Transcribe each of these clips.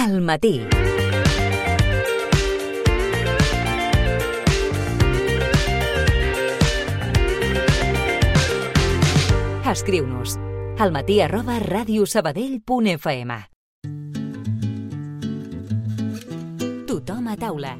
Al matí. Escriu-nos almatí@radiosabadell.fm. Tothom a taula.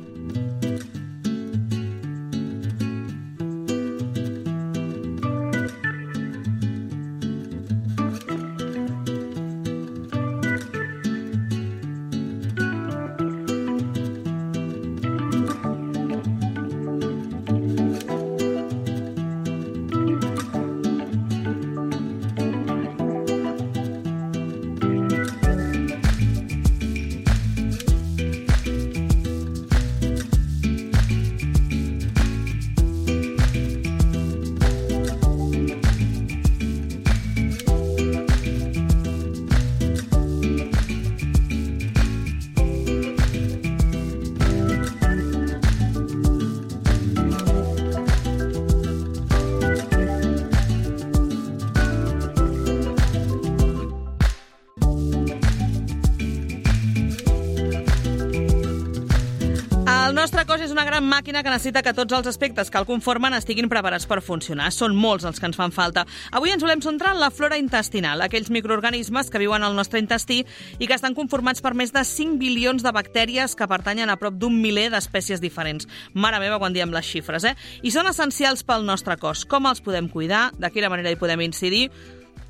El nostre cos és una gran màquina que necessita que tots els aspectes que el conformen estiguin preparats per funcionar. Són molts els que ens fan falta. Avui ens volem centrar en la flora intestinal, aquells microorganismes que viuen al nostre intestí i que estan conformats per més de 5 bilions de bactèries que pertanyen a prop d'un miler d'espècies diferents. Mare meva, quan diem les xifres, I són essencials pel nostre cos. Com els podem cuidar? De quina manera hi podem incidir?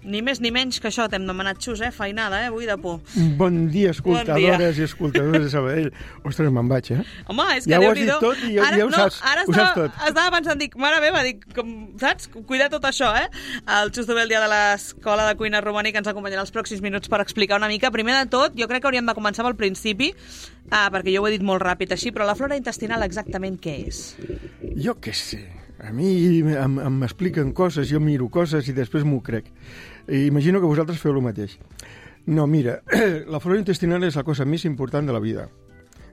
Ni més ni menys que això, t'hem demanat, Xus, feinada, avui de por. Bon dia, escoltadores i escoltadors de Sabadell. Ostres, me'n vaig, Home, és que ja ho has Déu-n'hi-do. dit tot i ja ho saps. Ara ho saps tot. estava pensant, mare meva, saps? Cuida tot això, El Xus Dobé, el dia de l'Escola de Cuina Romànica, ens acompanyarà els pròxims minuts per explicar una mica. Primer de tot, jo crec que hauríem de començar pel principi, perquè jo ho he dit molt ràpid així, però la flora intestinal exactament què és? Jo què sé. A mi m'expliquen coses, jo miro coses i després m'ho crec. I imagino que vosaltres feu el mateix. No, mira, la flora intestinal és la cosa més important de la vida.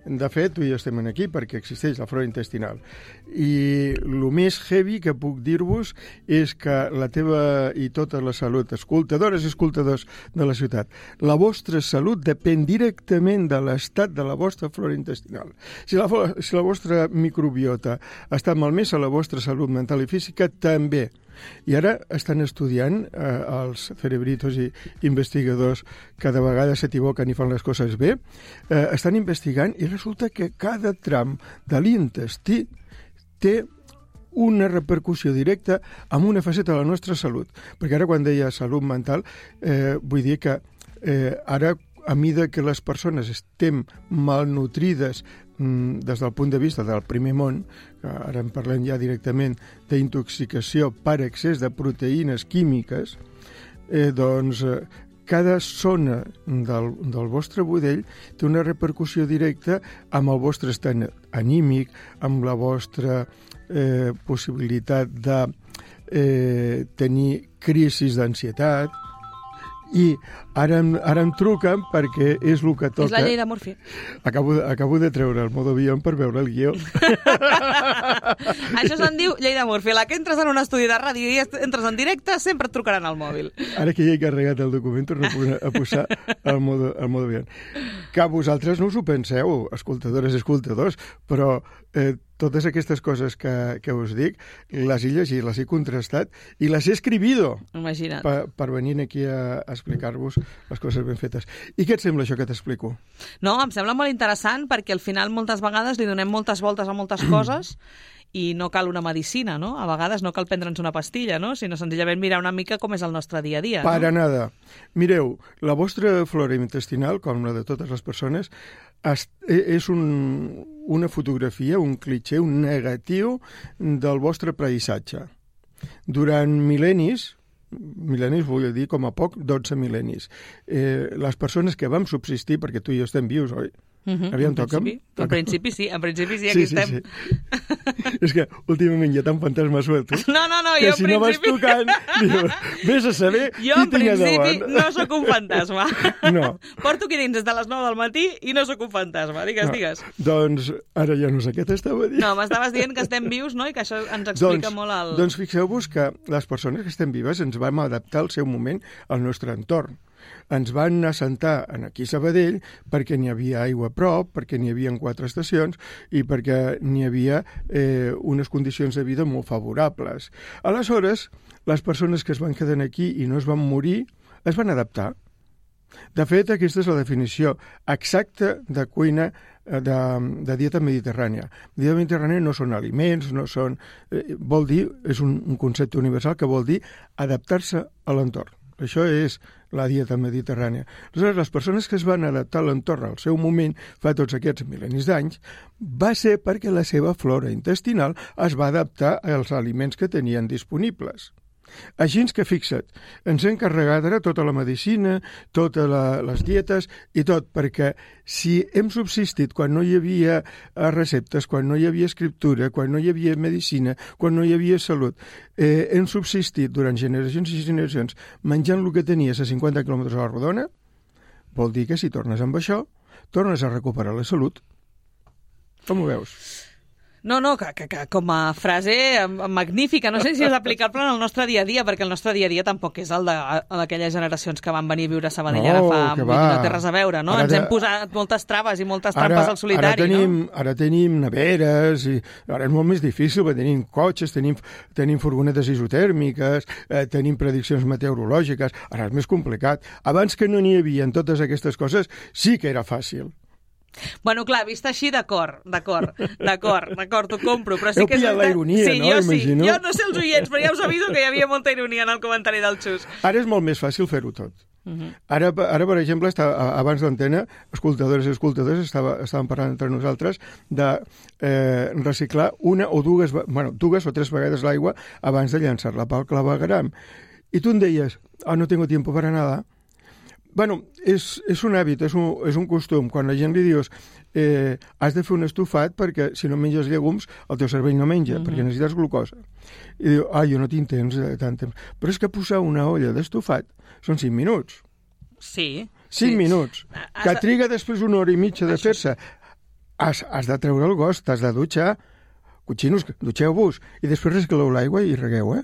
De fet, tu i jo estem aquí perquè existeix la flora intestinal. I el més heavy que puc dir-vos és que la teva i tota la salut, escoltadores i escoltadors de la ciutat, la vostra salut depèn directament de l'estat de la vostra flora intestinal. Si la vostra microbiota està malmesa, la vostra salut mental i física també. I ara estan estudiant els cerebritos i investigadors que de vegades s'equivoquen i fan les coses bé, estan investigant i resulta que cada tram de l'intestí té una repercussió directa en una faceta de la nostra salut. Perquè ara quan deia salut mental, vull dir que ara a mida que les persones estem malnutrides des del punt de vista del primer món, que ara en parlem ja directament d'intoxicació per excés de proteïnes químiques, doncs cada zona del vostre budell té una repercussió directa amb el vostre estat anímic, amb la vostra possibilitat de tenir crisis d'ansietat. I ara em truquen perquè és el que toca. És la llei de Murphy. Acabo de treure el modo avió per veure el guió. Això se'n diu llei de Murphy. La que entres en un estudi de ràdio i entres en directe, sempre et trucaran al mòbil. Ara que ja he carregat el document, torno a posar el modo avió. Que vosaltres no us ho penseu, escoltadores i escoltadors, però totes aquestes coses que us dic, les he llegit, les he contrastat i les he escribido. Imagina't. Per venir aquí a explicar-vos les coses ben fetes. I què et sembla això que t'explico? No, em sembla molt interessant perquè al final moltes vegades li donem moltes voltes a moltes coses i no cal una medicina, no? A vegades no cal prendre'ns una pastilla, no? Sinó senzillament mirar una mica com és el nostre dia a dia. Para nada. Mireu, la vostra flora intestinal, com la de totes les persones, és una fotografia, un clitxé, un negatiu del vostre paisatge. Durant mil·lennis vull dir com a poc 12 mil·lennis, les persones que vam subsistir, perquè tu i jo estem vius, oi? Aviam, toca'm. En principi sí, aquí estem. Sí. És que últimament hi ha tant fantasma suelto no, que jo si no vas tocant, dius, vés a saber jo en principi no sóc un fantasma. No. Porto aquí dins des de les 9 del matí i no sóc un fantasma, digues. Doncs ara ja no sé què t'estava dient. No, m'estaves dient que estem vius, no? I que això ens explica molt el... Doncs fixeu-vos que les persones que estem vives ens vam adaptar al seu moment al nostre entorn. ens van anar a sentar aquí a Sabadell perquè n'hi havia aigua a prop, perquè n'hi havia 4 estacions i perquè n'hi havia unes condicions de vida molt favorables. Aleshores, les persones que es van quedar aquí i no es van morir es van adaptar. De fet, aquesta és la definició exacta de cuina de dieta mediterrània. Dieta mediterrània no són aliments, no són... vol dir, és un concepte universal que vol dir adaptar-se a l'entorn. Això és la dieta mediterrània. Aleshores, les persones que es van adaptar a l'entorn al seu moment, fa tots aquests mil·lennis d'anys, va ser perquè la seva flora intestinal es va adaptar als aliments que tenien disponibles. Així que fixa't, ens hem carregat ara tota la medicina, totes les dietes i tot, perquè si hem subsistit quan no hi havia receptes, quan no hi havia escriptura, quan no hi havia medicina, quan no hi havia salut, hem subsistit durant generacions i generacions menjant el que tenies a 50 quilòmetres a la rodona, vol dir que si tornes amb això, tornes a recuperar la salut. Com ho veus? No, que com a frase magnífica. No sé si és aplicable en el nostre dia a dia, perquè el nostre dia a dia tampoc és el d'aquelles generacions que van venir a viure a Sabadell ara fa... No té res a veure, no? Ens hem posat moltes traves i moltes trampes al solitari, no? Ara tenim neveres, i ara és molt més difícil, perquè tenim cotxes, tenim furgonetes isotèrmiques, tenim prediccions meteorològiques, ara és més complicat. Abans que no n'hi havia totes aquestes coses, sí que era fàcil. Bueno, clar, vist així, d'acord, t'ho compro, però sí Heu que... pillat la ironia, sí, no? Imagino. Jo no sé els oients, però ja us aviso que hi havia molta ironia en el comentari del Xus. Ara és molt més fàcil fer-ho tot. Ara, per exemple, abans d'antena, escoltadores i escoltadors estàvem parlant entre nosaltres de reciclar una o dues o tres vegades l'aigua abans de llançar-la pel clavegueram. I tu em deies, no tengo tiempo para nada. Bueno, és un hàbit, és un costum. Quan la gent li dius has de fer un estofat perquè si no menges llegums el teu cervell no menja, perquè necessites glucosa. I diu, jo no tinc temps, tant temps. Però és que posar una olla d'estofat són 5 minuts. Sí. 5 minuts. Que triga després 1 hora i mitja de fer-se. Has de treure el gos, t'has de dutxar. Cotxinos, dutxeu-vos. I després recicleu l'aigua i regueu,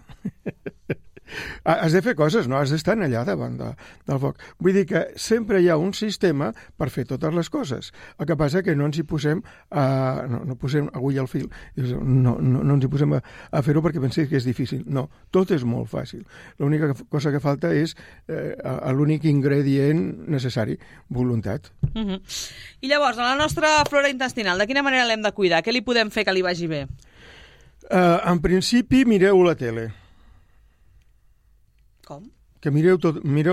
Has de fer coses, no has d'estar allà davant del foc. Vull dir que sempre hi ha un sistema per fer totes les coses. El que passa que no ens hi posem no posem agulla al fil. No ens hi posem a fer-ho perquè pensem que és difícil. No, tot és molt fàcil. L'única cosa que falta és l'únic ingredient necessari, voluntat. I llavors, a la nostra flora intestinal, de quina manera l'hem de cuidar? Què li podem fer que li vagi bé? En principi, mireu la tele. Com? Que mireu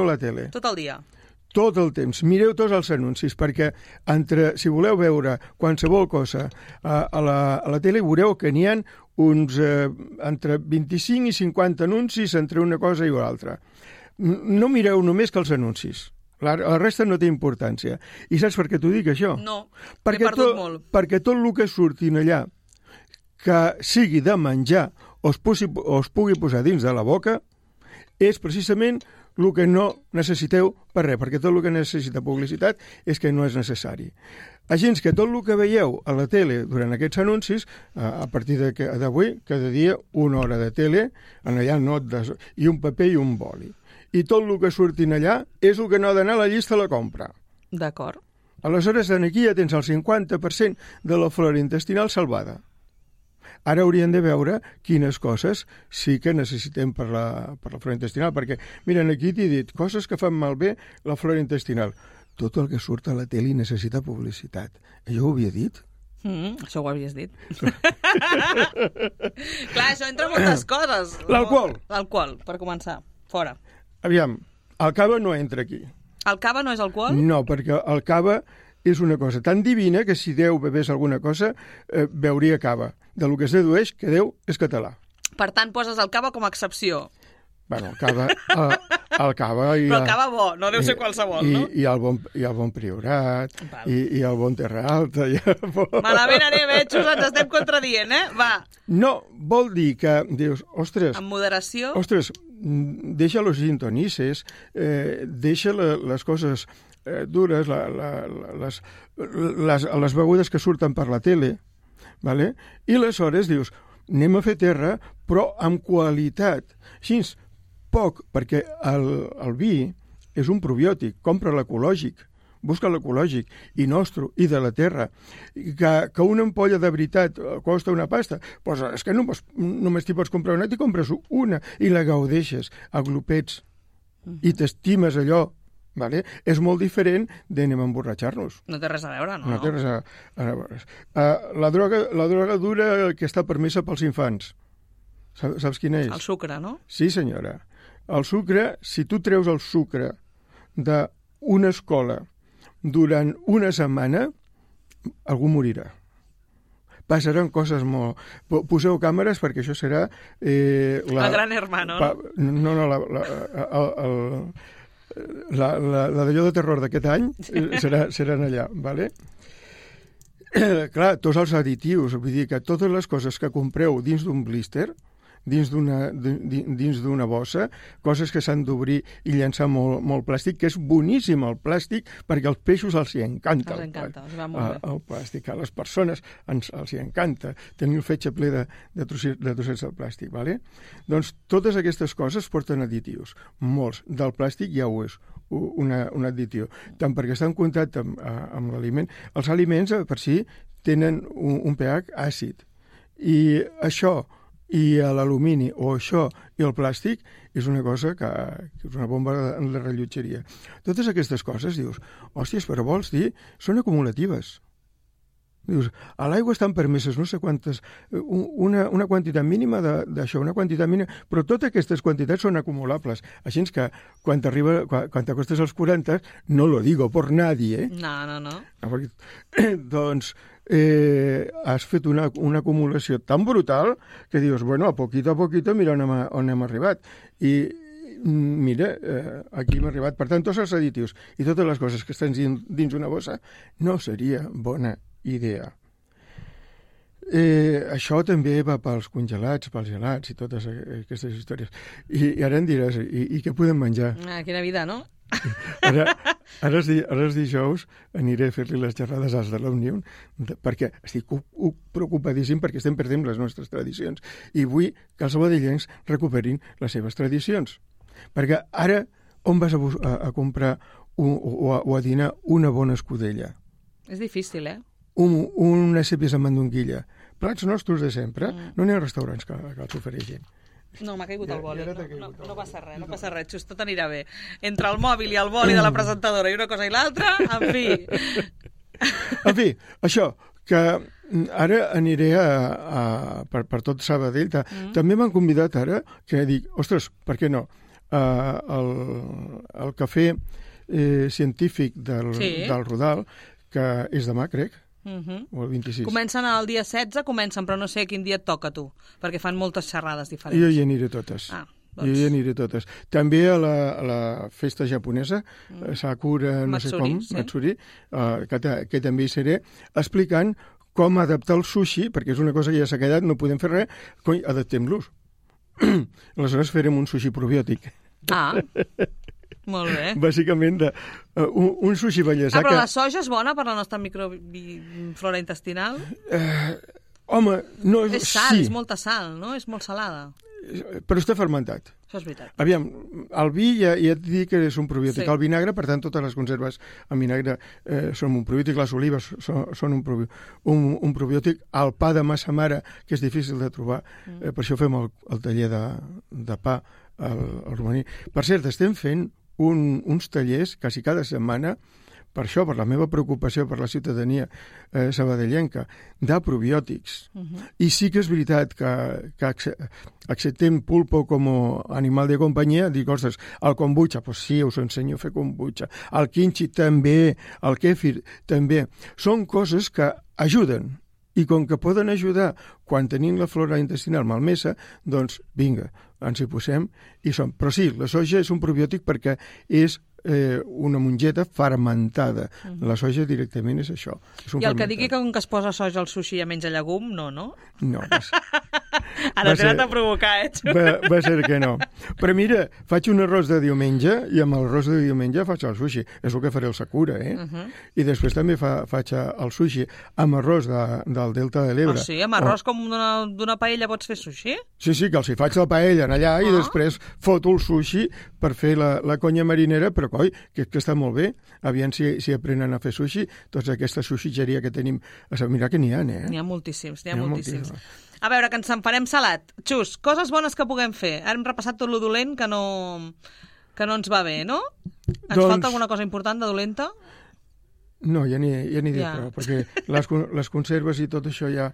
la tele. Tot el dia? Tot el temps. Mireu tots els anuncis, perquè si voleu veure qualsevol cosa a la tele, veureu que n'hi ha uns entre 25 i 50 anuncis entre una cosa i l'altra. No mireu només que els anuncis. La resta no té importància. I saps per què t'ho dic, això? No, m'he perdut molt. Perquè tot el que surtin allà, que sigui de menjar o es pugui posar dins de la boca, és precisament el que no necessiteu per res, perquè tot el que necessita publicitat és que no és necessari. Així que tot el que veieu a la tele durant aquests anuncis, a partir d'avui, cada dia 1 hora de tele, allà i un paper i un boli. I tot el que surtin allà és el que no ha d'anar a la llista de la compra. D'acord. Aleshores, aquí ja tens el 50% de la flora intestinal salvada. Ara hauríem de veure quines coses sí que necessitem per la flora intestinal, perquè, mira, aquí t'he dit coses que fan malbé la flora intestinal. Tot el que surt a la tele necessita publicitat. Jo ho havia dit? Això ho havies dit. Clar, això entra moltes coses. L'alcohol. L'alcohol, per començar. Fora. Aviam, el cava no entra aquí. El cava no és alcohol? No, perquè el cava és una cosa tan divina que si Déu bevés alguna cosa, beuria cava. De lo que es dedueix que Déu és català. Per tant, poses el cava com a excepció. Bueno, el cava... el cava però el cava bo, no deu ser qualsevol, no? I el bon Priorat, i el bon Terra Alta... Malament anem, Xus, ens estem contradient, Va. No, vol dir que dius, ostres... Amb moderació? Ostres, deixa los gintonices, deixa les coses dures, les begudes que surten per la tele, vale? I aleshores dius, anem a fer terra, però amb qualitat. Així, poc, perquè el vi és un probiòtic, compra l'ecològic, busca l'ecològic, i nostre, i de la terra. Que una ampolla de veritat costa una pasta, doncs és que només t'hi pots comprar una, t'hi compres una, i la gaudeixes a glopets, i t'estimes allò. Vale? És molt diferent d'anem a emborratxar-nos. No té res a veure, no? No té res a veure. La droga dura que està permesa pels infants. Saps quina és? El sucre, no? Sí, senyora. El sucre, si tu treus el sucre d'una escola durant una setmana, algú morirà. Passaran coses molt... Poseu càmeres perquè això serà... El gran hermano, no? No, la d'allò de terror d'aquest any seran allà, ¿vale? Clar, tots els additius, vull dir que totes les coses que compreu dins d'un blister, dins d'una bossa, coses que s'han d'obrir i llançar molt plàstic, que és boníssim el plàstic, perquè als peixos els hi encanta. Els encanta, els va molt bé. El plàstic. A les persones els hi encanta tenir el fetge ple de trossets de plàstic, ¿vale? Doncs totes aquestes coses porten additius, molts. Del plàstic ja ho és un additiu, tant perquè està en contacte amb l'aliment. Els aliments per si tenen un pH àcid, i això i l'alumini o això i el plàstic és una cosa que és una bomba de rellotgeria. Totes aquestes coses, dius, hòsties, però vols dir, són acumulatives. Dius, a l'aigua estan permeses no sé quantes, una quantitat mínima d'això, una quantitat mínima, però totes aquestes quantitats són acumulables. Així que quan t'acostes als 40, no lo digo por nadie, No. Doncs has fet una acumulació tan brutal que dius, bueno, a poquito, mira on hem arribat. I mira, aquí hem arribat. Per tant, tots els additius i totes les coses que estan dins una bossa no seria bona idea. Això també va pels congelats, pels gelats i totes aquestes històries. I ara em diràs, i què podem menjar? Quina vida, no? Ara els dijous aniré a fer-li les xerrades als de l'Òmnium perquè estic preocupadíssim perquè estem perdent les nostres tradicions i vull que els sabadellencs recuperin les seves tradicions. Perquè ara on vas a comprar o a dinar una bona escudella? És difícil, Una cèpies amb mandonguilla. Plats nostres de sempre. No n'hi ha restaurants que els ofereixin. No, m'ha caigut el boli. No passa res, just tot anirà bé. Entre el mòbil i el boli de la presentadora i una cosa i l'altra, en fi. En fi, això, que ara aniré per tot Sabadell. També m'han convidat ara, que dic, ostres, per què no? El cafè científic del Rodal, que és demà, crec, o el 26. Comencen el dia 16, però no sé quin dia et toca a tu, perquè fan moltes xerrades diferents. Jo hi aniré totes. Jo hi aniré totes. També a la festa japonesa, Sakura, no sé com, Matsuri, que també hi seré, explicant com adaptar el sushi, perquè és una cosa que ja s'ha quedat, no podem fer res, adaptem-los. Aleshores farem un sushi probiòtic. Molt bé. Bàsicament, un sushi bellesa. Però la soja és bona per la nostra microflora intestinal? Home, no... És sal, és molta sal, no? És molt salada. Però està fermentat. Això és veritat. Aviam, el vi ja et dic que és un probiòtic. Sí. El vinagre, per tant, totes les conserves amb vinagre són un probiòtic. Les olives són un probiòtic. El pa de massa mare, que és difícil de trobar. Per això fem el taller de pa al romaní. Per cert, estem fent uns tallers quasi cada setmana per això, per la meva preocupació per la ciutadania sabadellenca, de probiòtics. I sí que és veritat que acceptem pulpo com a animal de companyia, dic, ostres, el kombucha, doncs sí, us ensenyo a fer kombucha, el kimchi també, el kefir també. Són coses que ajuden, i com que poden ajudar quan tenim la flora intestinal malmesa, doncs vinga, ens hi posem i som. Però sí, la soja és un probiòtic perquè és una mongeta fermentada. La soja directament és això. És I el que digui que com que es posa soja al sushi ja menja llegum, no? No. Ara t'he anat a provocar, Va ser que no. Però mira, faig un arròs de diumenge i amb l'arròs de diumenge faig el sushi. És el que faré el Sakura, I després també faig el sushi amb arròs del Delta de l'Ebre. Sí, amb arròs com d'una paella pots fer sushi? Sí, que els hi faig la paella allà i després foto el sushi per fer la conya marinera, però coi, que està molt bé. Aviam si aprenen a fer sushi, tota aquesta sushitxeria que tenim. Mira que n'hi ha, N'hi ha moltíssims, moltíssims. A veure, que ens en farem salat. Xus, coses bones que puguem fer. Ara hem repassat tot lo dolent que no ens va bé, no? Ens falta alguna cosa important de dolenta? No, ja n'hi dic prou, perquè les conserves i tot això ja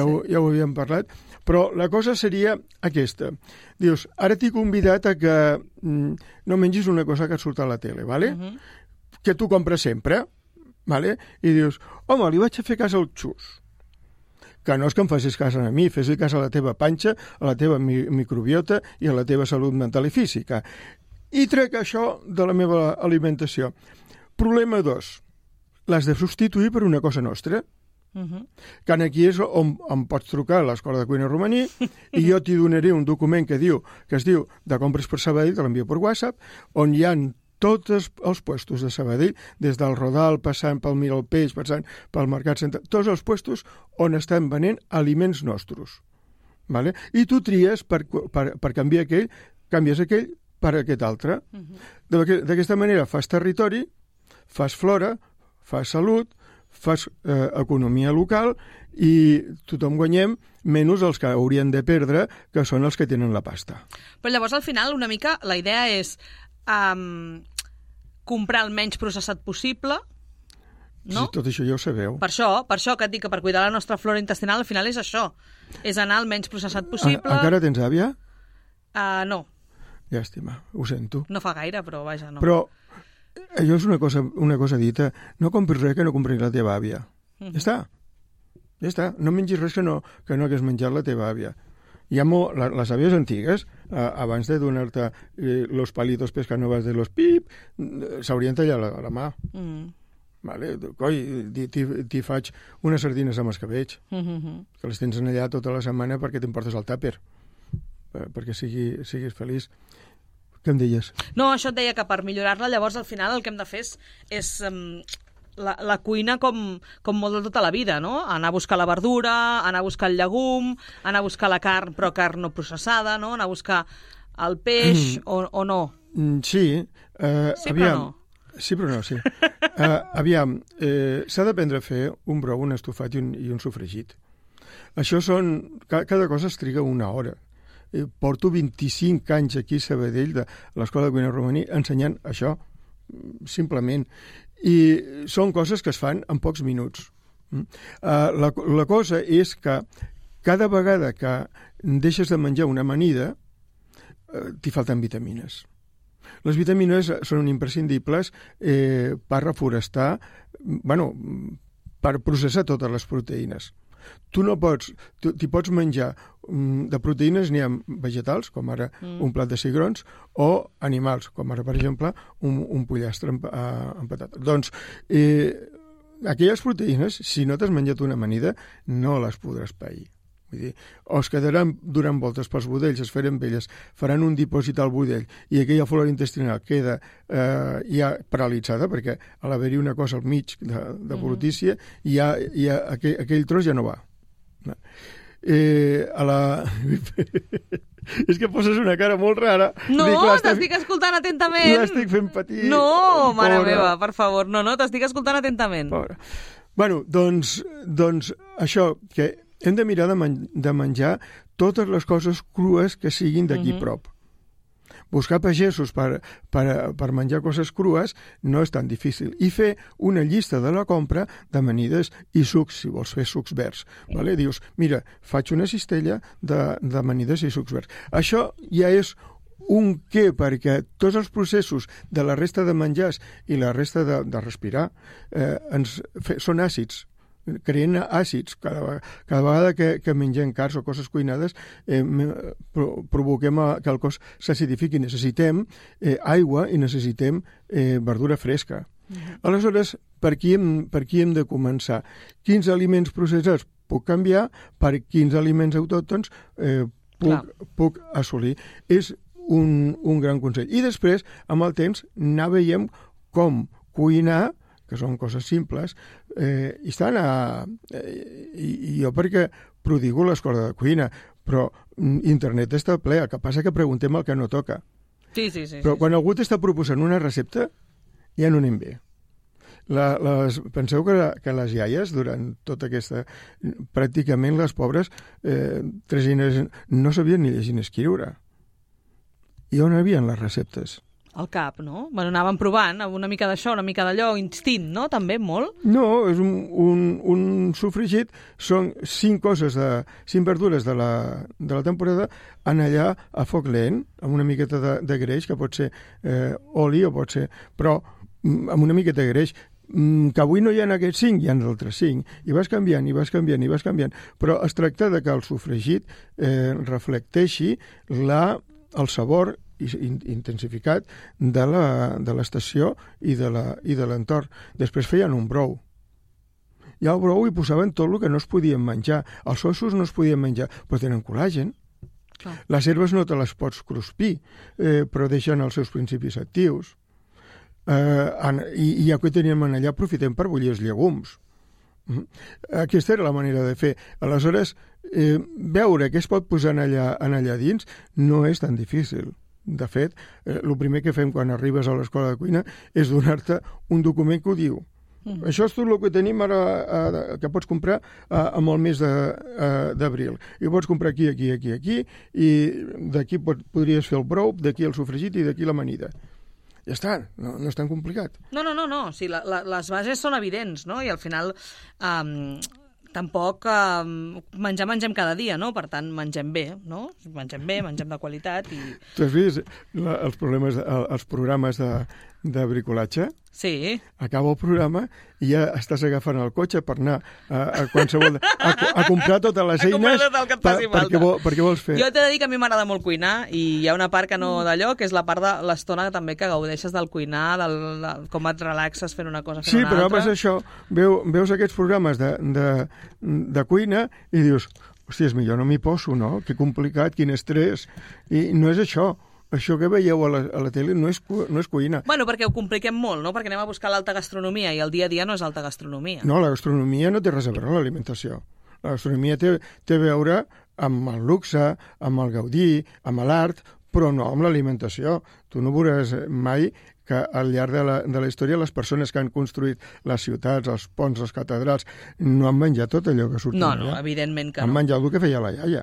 ho havíem parlat. Però la cosa seria aquesta. Dius, ara t'he convidat a que no mengis una cosa que et surt a la tele, ¿vale? Que tu compres sempre, ¿vale? I dius, home, li vaig a fer cas al Xus. Que no és que em facis cas a mi, fes-li cas a la teva panxa, a la teva microbiota i a la teva salut mental i física. I trec això de la meva alimentació. Problema 2. L'has de substituir per una cosa nostra. Que aquí és on em pots trucar a l'Escola de Cuina Romaní i jo t'hi donaré un document que es diu de compres per Sabadell, te l'envio per WhatsApp, on hi ha tots els puestos de Sabadell, des del Rodal, passant pel Mira el Peix, passant pel Mercat Central, tots els puestos on estan venent aliments nostres. ¿Vale? I tu tries per canviar aquell, canvies aquell per aquest altre. D'aquesta manera fas territori, fas flora, fas salut, fas economia local i tothom guanyem, menys els que haurien de perdre, que són els que tenen la pasta. Però llavors, al final, una mica, la idea és comprar el menys processat possible, no? Sí, tot això ja ho sabeu. Per això que et dic que per cuidar la nostra flora intestinal al final és això, és anar el menys processat possible. Encara tens àvia? No. Llàstima, ho sento. No fa gaire, però vaja, no. Però allò és una cosa dita, no compris res que no compris la teva àvia. Ja està. No mengis res que no hagués menjat la teva àvia. Hi ha les àvies antigues, abans de donar-te los palitos pescanovas de los pip, s'haurien tallat la mà. Vale? Coi, t'hi faig unes sardines amb escabetx, que les tens allà tota la setmana perquè t'emportes el tàper, perquè siguis feliç. Què em deies? No, això et deia que per millorar-la, llavors al final el que hem de fer és la cuina com molt de tota la vida, no? Anar a buscar la verdura, anar a buscar el llegum, anar a buscar la carn, però carn no processada, no? Anar a buscar el peix o no? Sí. Sí, aviam, però no. Sí, però no, sí. Aviam, s'ha d'aprendre a fer un brou, un estofat i un sofregit. Això cada cosa es triga una hora. Porto 25 anys aquí a Sabadell, de l'Escola de Cuina Romaní, ensenyant això, simplement. I són coses que es fan en pocs minuts. La cosa és que cada vegada que deixes de menjar una amanida, t'hi falten vitamines. Les vitamines són imprescindibles per reforestar, per processar totes les proteïnes. T'hi pots menjar de proteïnes, n'hi ha vegetals, com ara un plat de cigrons, o animals, com ara, per exemple, un pollastre amb patata. Doncs, aquelles proteïnes, si no t'has menjat una amanida, no les podràs pair. Vull dir, o es quedaran donant voltes pels budells, es faran velles, faran un dipòsit al budell, i aquella flora intestinal queda ja paralitzada, perquè a l'haver-hi una cosa al mig de brutícia, aquell tros ja no va. És que poses una cara molt rara. No, t'estic escoltant atentament. L'estic fent patir. No, mare meva, per favor, no, t'estic escoltant atentament. Pobra. Bueno, doncs això, que hem de mirar de menjar totes les coses crues que siguin d'aquí prop. Buscar pagesos per menjar coses crues no és tan difícil. I fer una llista de la compra d'amanides i sucs, si vols fer sucs verds. Vale? Dius, mira, faig una cistella d'amanides i sucs verds. Això ja és un què, perquè tots els processos de la resta de menjars i la resta de respirar són àcids. Creen àcids. Cada vegada que mengem carns o coses cuinades provoquem que el cos s'acidifiqui. Necessitem aigua i necessitem verdura fresca. Aleshores, per qui hem de començar? Quins aliments processats puc canviar? Per quins aliments autòctons puc assolir. És un gran consell. I després, amb el temps, anar veient com cuinar, que són coses simples, i jo perquè prodigo l'escola de cuina, però internet està ple, el que passa que preguntem el que no toca. Sí. Però quan algú t'està proposant una recepta, ja no anem bé. Penseu que les iaies, durant tota aquesta... Pràcticament les pobres tresines no sabien ni llegir ni escriure. I on havien les receptes? Al cap, no? Bueno, anàvem provant una mica d'això, una mica d'allò, instint, no? També, molt? No, és un sofregit, són 5 verdures de la temporada, en allà a foc lent, amb una miqueta de greix, que pot ser oli o pot ser... Però amb una miqueta de greix, que avui no hi ha aquests 5, hi ha d'altres 5, i vas canviant, però es tracta de que el sofregit reflecteixi el sabor intensificat de l'estació i de l'entorn. Després feien un brou. I al brou hi posaven tot el que no es podien menjar. Els ossos no es podien menjar, però tenen col·làgen. Clar. Les herbes no te les pots cruspir, però deixen els seus principis actius. I ja que teníem allà, aprofitem per bullir els llegums. Aquesta era la manera de fer. Aleshores, veure què es pot posar allà dins no és tan difícil. De fet, el primer que fem quan arribes a l'escola de cuina és donar-te un document que ho diu. Això és tot el que tenim ara, que pots comprar amb el mes d'abril. I ho pots comprar aquí, i d'aquí podries fer el brou, d'aquí el sofregit i d'aquí l'amanida. Ja està, no és tan complicat. No. Sí, les bases són evidents, no? I al final... Tampoc mengem cada dia, no? Per tant, mengem bé, no? Mengem bé, mengem de qualitat i... Tu has vist els programes de bricolatge? Sí. Acaba el programa i ja estàs agafant el cotxe per anar a qualsevol... a comprar totes les eines perquè vols fer. Jo t'he de dir que a mi m'agrada molt cuinar i hi ha una part que no d'allò, que és la part de l'estona també que gaudeixes del cuinar, com et relaxes fent una cosa, fent una altra. Sí, però és això. Veus aquests programes de cuina i dius, hòstia, és millor no m'hi poso, no? Que complicat, quin estrès. I no és això. Això que veieu a la tele no és cuina. Bueno, perquè ho compliquem molt, no? Perquè anem a buscar l'alta gastronomia i el dia a dia no és alta gastronomia. No, la gastronomia no té res a veure amb l'alimentació. La gastronomia té a veure amb el luxe, amb el gaudí, amb l'art, però no amb l'alimentació. Tu no veuràs mai que al llarg de la història les persones que han construït les ciutats, els ponts, les catedrals, no han menjat tot allò que surt allà. No, evidentment que no. Han menjat el que feia la iaia.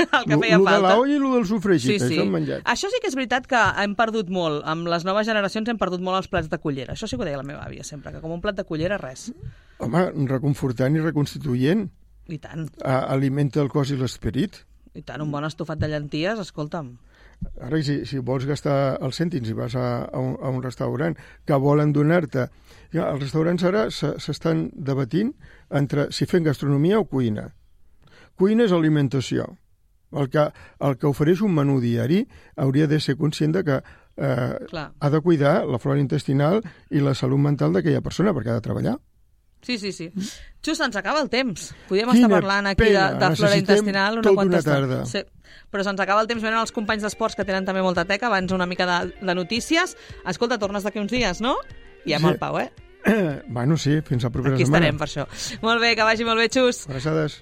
El que feia falta. El de l'olla i el del sofregit, això han menjat. Això sí que és veritat que hem perdut molt. Amb les noves generacions hem perdut molt els plats de cullera. Això sí que ho deia la meva àvia sempre, que com un plat de cullera, res. Home, reconfortant i reconstituent. I tant. Alimenta el cos i l'esperit. I tant, un bon estofat de llenties, escolta'm. Ara, si vols gastar els cèntims i vas a un restaurant que volen donar-te... Ja, els restaurants ara s'estan debatint entre si fem gastronomia o cuina. Cuina és alimentació. El que ofereix un menú diari hauria de ser conscient de que ha de cuidar la flora intestinal i la salut mental d'aquella persona, perquè ha de treballar. Sí. Just, ens acaba el temps. Podríem estar parlant aquí de flora intestinal una quanta tarda. Sí. Però se'ns acaba el temps. Venen els companys d'esports que tenen també molta teca. Abans una mica de notícies. Escolta, tornes d'aquí uns dies, no? I amb el Pau, Bueno, sí, fins la propera setmana. Aquí estarem per això. Molt bé, que vagi molt bé, Xus. Abraçades.